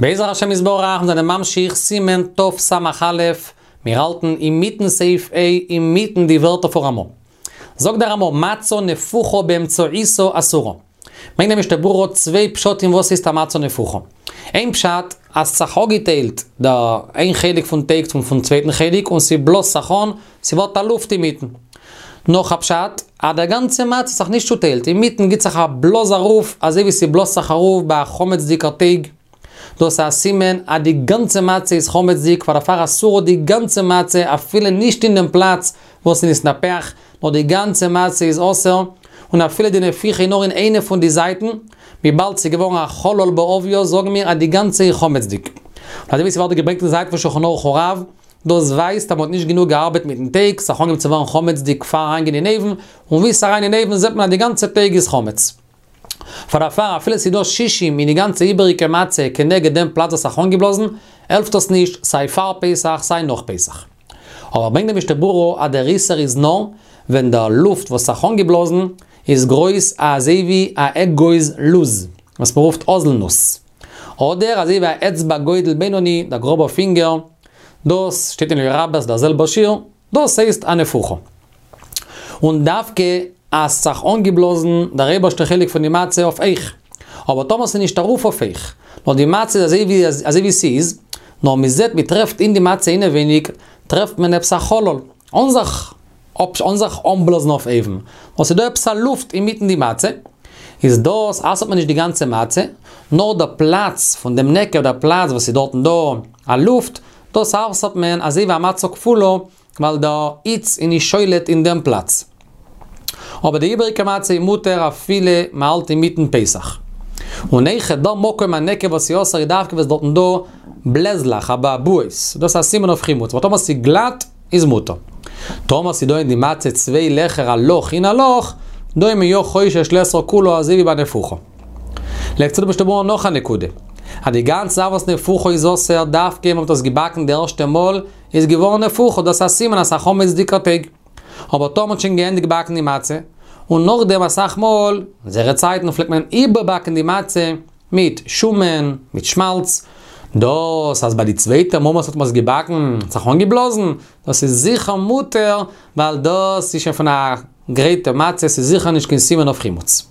בעזר השם יתברך, מיר זענען ממשיך סימן תס"א, מיר האלטן אינמיטן סעיף ה' אינמיטן די ווערטער פון רמא. זאגט דער רמא, מצה נפוחה באמצעיתה אסורה. ברענגט דער משנה ברורה צוויי פשטים וואס הייסט א מצה נפוחה. איין פשט, אז ס'זיך אפגעטיילט די איין חלק פון טייג פון צווייטן חלק און ס'בלאזט זיך אן, ס'ווערט א לופט אינמיטן. נאך א פשט, אז דער גאנצע מצה האט זיך נישט צוטיילט, אינמיטן גיט זיך א בלאז ארויף, אזוי ווי ס'בלאזט זיך ארויף ביי א חמצ'דיגער טייג. דאס איז א סימן אז די גאנצע מצה איז חמצ'דיג, פאר דערפאר אסורה די גאנצע מצה אפילו נישט אין דעם פלאץ וואס איז נתנפח, נאר די גאנצע מצה איז אסור, און אפילו די נפיחה איז נאר אין איינע פון די זייטן, וויבאלד ס'איז געווארן א חלל בעוביו זאגן מיר אז די גאנצע איז חמצ'דיג. און אזוי ווי ס'ווערט געברענגט אין די זייט פון שולחן ערוך הרב, דאס ווייזט אז מ'האט נישט גענוג געארבעט מיטן טייג, ס'האט אנגעהויבן צו ווערן חמצ'דיג פאר אריינגיין אין אויוון, און ווי ס'איז אריין אין אויוון זעט מען אז די גאנצע טייג איז חמץ. פאר דערפאר אפילו ס'איז דא שישים אין די גאנצע איבעריגע מצה כנגד דעם פלאץ וואס האט זיך אנגעבלאזן, העלפט דאס נישט סיי פאר פסח סיי נאך פסח. אבער ברענגט די משנה ברורה אז דער איסור איז נאר ווען דער לופט וואס האט זיך אנגעבלאזן איז גרויס אזוי ווי א אגוז לוז, וואס מ'רופט האזלנוס. אדער אזוי ווי א אצבע גודל בינוני, דער גראבער פינגער, דאס שטייט אין אליה רבה דער זעלבער שיעור, דאס הייסט א נפוחה. און דווקא אז ס'זיך אנגעבלאזן דער אייבערשטער חלק פון די מצה אויף הויך. אבער טאמער ס'איז נישט ארויף אויף הויך, נאר די מצה איז אזוי ווי אזוי ווי ס'איז, נאר מ'זעט מ'טרעפט אין די מצה אינעווייניג טרעפט מען עפעס א חלל, אן זיך אן זיך אנבלאזן אויף אויבן, נאר ס'איז דא עפעס א לופט אינמיטן די מצה, איז דאס אסר'ט מען נישט די גאנצע מצה, נאר דער פלאץ פון דעם נקב, דער פלאץ וואס איז דארטן דא א לופט, דאס אסר'ט מען אזוי ווי א מצה כפולה, ווייל דער היץ איז נישט שולט אין דעם פלאץ. אבער די איבעריגע מצה איז מותר אפילו מ'האלט אינמיטן פסח. און אויכעט דער מקום הנקב וואס איז אסור איז דווקא וואס דארטן דא בלעזלעך, אבעבועות, דאס איז א סימן אויף חימוץ, אבער טאמער ס'איז גלאט איז מותר. טאמער ס'איז דא אין די מצה צוויי לעכער א לאך אין א לאך, דא איז מען יא חושש לאסור כולה אזוי ווי ביי נפוחה. לייגט צו די משנה ברורה נאך א נקודה, אז די גאנצע זאך וואס נפוחה איז אסור דווקא ווען מ'האט עס געבאקן די ערשטע מאל איז געווארן נפוחה דאס איז א סימן אז ס'איז א חמצ'דיגער טייג. אבער טאמער מ'האט שוין געענדיגט באקן די מצה, און נאכדעם אסאך מאל, אין אונזערע צייטן פלעגט מען איבערבאקן די מצה מיט שומן, מיט שמאלץ, דאס אז ביי די צווייטע מאל וואס האט מען עס געבאקן האט זיך אנגעבלאזן, דאס איז זיכער מותר, ווייל דאס איז שוין פון א גרייטע מצה, ס'איז זיכער נישט קיין סימן אויף חימוץ.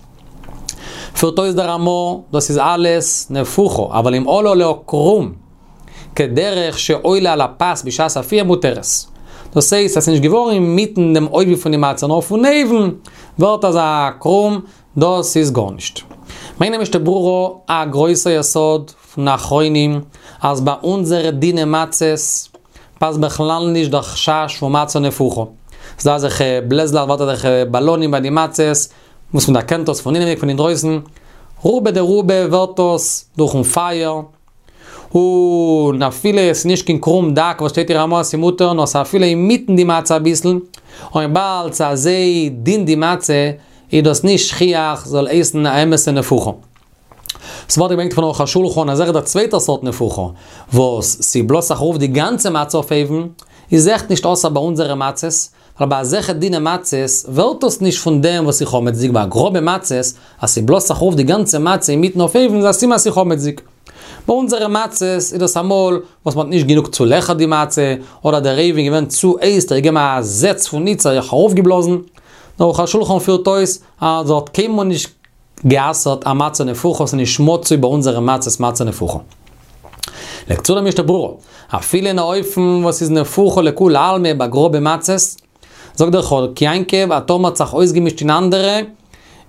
פירט אויס דער רמא, דאס איז אלעס נפוחה, אבל אם עלה עליה קרום, כדרך שעולה על הפת בשעת אפייה מותרת. דאס הייסט אז ס'איז נישט געווארן אינמיטן דעם עובי פון די מצה נאר פון אויבן ווערט אזא קרום, דאס איז גארנישט. ברענגט די משנה ברורה א גרויסע יסוד פון אחרונים אז ביי אונזערע דינע מצות פאסט בכלל נישט דער חשש פון מצה נפוחה. ס'איז דא אזעלכע בלעזלעך ווערט אזעלכע באלאנים ביי די מצות וואס מ'דערקענט דאס פון אינעווייניג פון אינדרויסן, רובא דרובא ווערט דאס דורכן פייער, און אפילו עס איז נישט קיין קרום דק וואס שטייט אין רמא אז ס'איז מותר, נאר ס'איז אפילו אינמיטן די מצה אביסל, און וויבאלד ס'איז אזוי דין די מצה, איז דאס נישט שכיח זאל הייסן א אמת'ע נפוחה. ס'ווערט געברענגט פון ערוך השולחן אז אויך דער צווייטער סארט נפוחה, וואס ס'בלאזט זיך ארויף די גאנצע מצה אויף אויבן, איז עכט נישט אסור ביי אונזערע מצות, ווייל ביי אזעלכע דינע מצות ווערט דאס נישט פון דעם וואס איז חמצ'דיג, ביי גראבע מצות אז ס'בלאזט זיך ארויף די גאנצע מצה אינמיטן אויף אויבן איז א סימן אז ס'איז חמצ'דיג. ביי אונזערע מצות איז דאס אמאל וואס מ'האט נישט גענוג צולעכערט די מצה, אדער דער אויוון איז געווען צו הייס האט ער געגעבן א זעץ פון היץ האט זיך ארויפגעבלאזן. דער ערוך השולחן פירט אויס אז ער האט קיינמאל נישט גע'אסר'ט א מצה נפוחה ס'איז נישט מצוי ביי אונזערע מצות מצה נפוחה. לייגט צו דער משנה ברורה, אפילו אין א אופן וואס איז נפוחה לכולי עלמא ביי גראבע מצות, זאגט דער חק יעקב אז טאמער האט זיך אויסגעמישט אין אנדערע,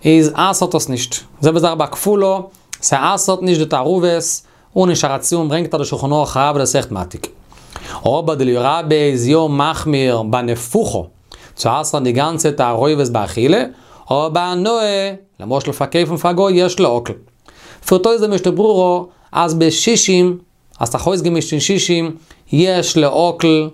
איז אסר'ט עס נישט. זעלבע זאך ביי כפולה, ס'אסר'ט נישט די תערובות, און אין שער הציון ברענגט ער די שולחן ערוך הרב דאס אויכעט מעתיק. אבער די אליה רבה איז יא מחמיר ביי נפוחה, צו אסר'ן די גאנצע תערובת באכילה, אבער בהנאה, למשל פארקויפן פאר גוי יש להקל. פירט אויס די משנה ברורה אז בשישים, אז ס'האט זיך אויסגעמישט אין שישים, יש להקל,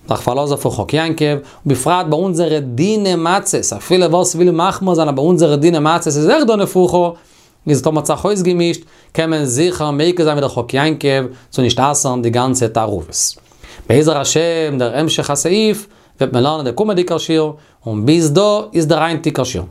זיך פארלאזן אויפן חק יעקב, ובפרט ביי אונזערע דינע מצות, אפילו ווער ס'וויל מחמיר זיין אז ביי אונזערע דינע מצות איז אויך דא נפוחה, איז טאמער האט זיך אויסגעמישט, קען מען זיכער מיקל זיין ווי דער חק יעקב צו נישט אסר'ן די גאנצע תערובת. בעזר השם דער המשך הסעיף וועט מען לערנען דער קומענדיגער שיעור, און ביז דא איז דער היינטיגער שיעור.